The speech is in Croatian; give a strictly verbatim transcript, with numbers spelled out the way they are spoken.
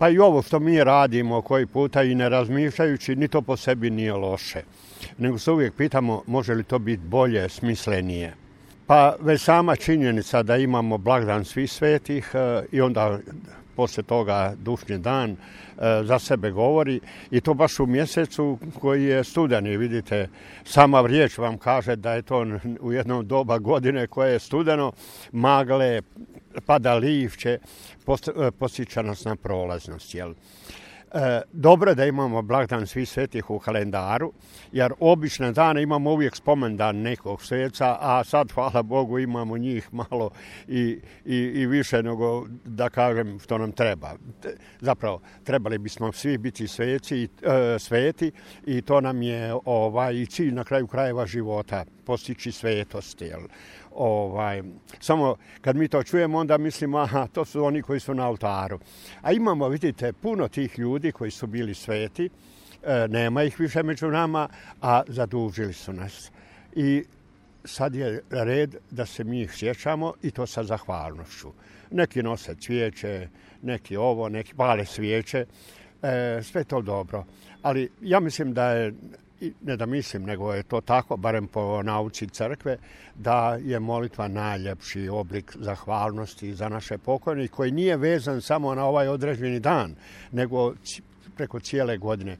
Pa i ovo što mi radimo koji puta i ne razmišljajući, ni to po sebi nije loše. Nego se uvijek pitamo može li to biti bolje, smislenije. Pa već sama činjenica da imamo blagdan svih svetih i onda poslije toga dušnji dan za sebe govori i to baš u mjesecu koji je studeni. Vidite, sama riječ vam kaže da je to u jednom doba godine koje je studeno, magle, pada lišće, posjeća nas na prolaznost. Jel? E, dobro je da imamo blagdan svih svetih u kalendaru, jer obične dane imamo uvijek spomendan nekog sveca, a sad, hvala Bogu, imamo njih malo i, i, i više nego, da kažem, što nam treba. Zapravo, trebali bismo svi biti sveci, e, sveti i to nam je ovaj, i cilj na kraju krajeva života, postići svetost. Jel? Ovaj, samo kad mi to čujemo, onda mislimo, aha, to su oni koji su na oltaru. A imamo, vidite, puno tih ljudi koji su bili sveti, e, nema ih više među nama, a zadužili su nas. I sad je red da se mi ih sjećamo i to sa zahvalnošću. Neki nose cvijeće, neki ovo, neki pale svijeće, e, sve to dobro. Ali ja mislim da je, ne da mislim, nego je to tako, barem po nauci crkve, da je molitva najljepši oblik zahvalnosti za naše pokojnike, koji nije vezan samo na ovaj određeni dan, nego preko cijele godine.